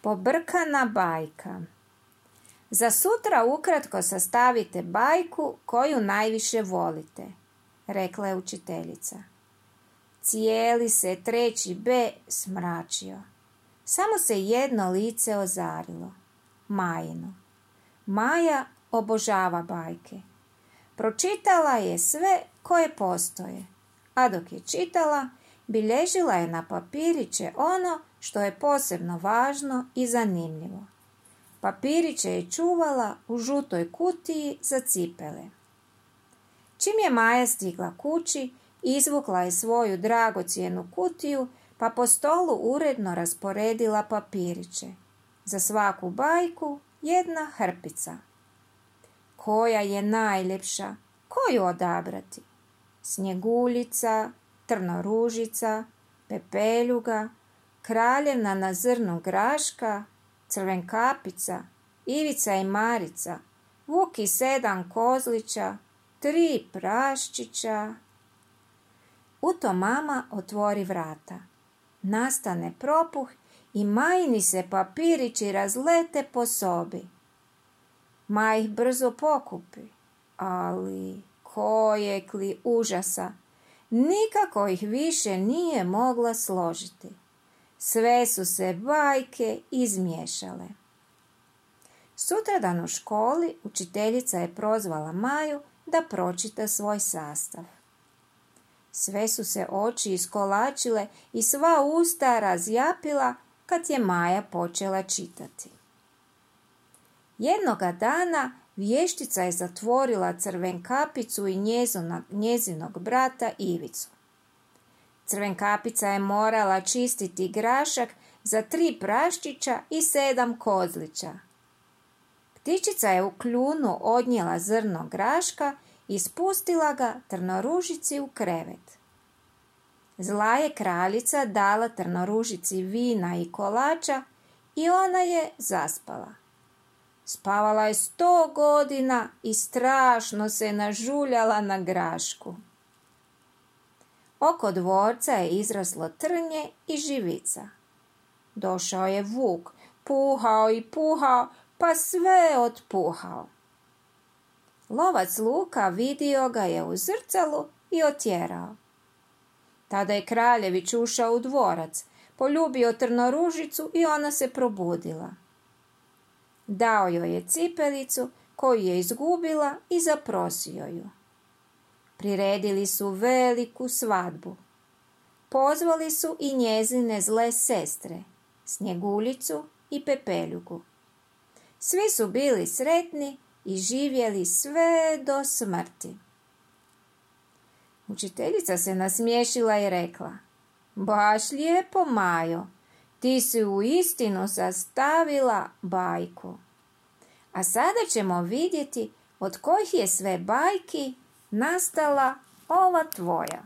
Pobrkana bajka. Za sutra ukratko sastavite bajku koju najviše volite, rekla je učiteljica. Cijeli se 3. B smračio. Samo se jedno lice ozarilo. Majino. Maja obožava bajke. Pročitala je sve koje postoje, a dok je čitala, bilježila je na papiriće ono što je posebno važno i zanimljivo. Papiriće je čuvala u žutoj kutiji za cipele. Čim je Maja stigla kući, izvukla je svoju dragocjenu kutiju, pa po stolu uredno rasporedila papiriće. Za svaku bajku jedna hrpica. Koja je najljepša? Koju odabrati? Snjeguljica, Trnoružica, Pepeljuga, Kraljevna na zrnu graška, Crvenkapica, Ivica i Marica, Vuk i 7 kozlića, 3 praščića. U to mama otvori vrata. Nastane propuh i Majini se papirići razlete po sobi. Maja ih brzo pokupi, ali kojeg li užasa, nikako ih više nije mogla složiti. Sve su se bajke izmiješale. Sutradan u školi učiteljica je prozvala Maju da pročita svoj sastav. Sve su se oči iskolačile i sva usta razjapila kad je Maja počela čitati. Jednoga dana vještica je zatvorila Crvenkapicu i njezinog brata Ivicu. Crvenkapica je morala čistiti grašak za 3 praščića i 7 kozlića. Ptičica je u kljunu odnijela zrno graška i spustila ga Trnoružici u krevet. Zla je kraljica dala Trnoružici vina i kolača i ona je zaspala. Spavala je 100 godina i strašno se nažuljala na grašku. Oko dvorca je izraslo trnje i živica. Došao je vuk, puhao i puhao, pa sve otpuhao. Lovac Luka vidio ga je u zrcalu i otjerao. Tada je kraljević ušao u dvorac, poljubio Trnoružicu i ona se probudila. Dao joj je cipelicu koju je izgubila i zaprosio ju. Priredili su veliku svadbu. Pozvali su i njezine zle sestre, Snjeguljicu i Pepeljugu. Svi su bili sretni i živjeli sve do smrti. Učiteljica se nasmiješila i rekla: baš lijepo, Majo, ti si uistinu sastavila bajku. A sada ćemo vidjeti od kojih je sve bajki nastala ova tvoja.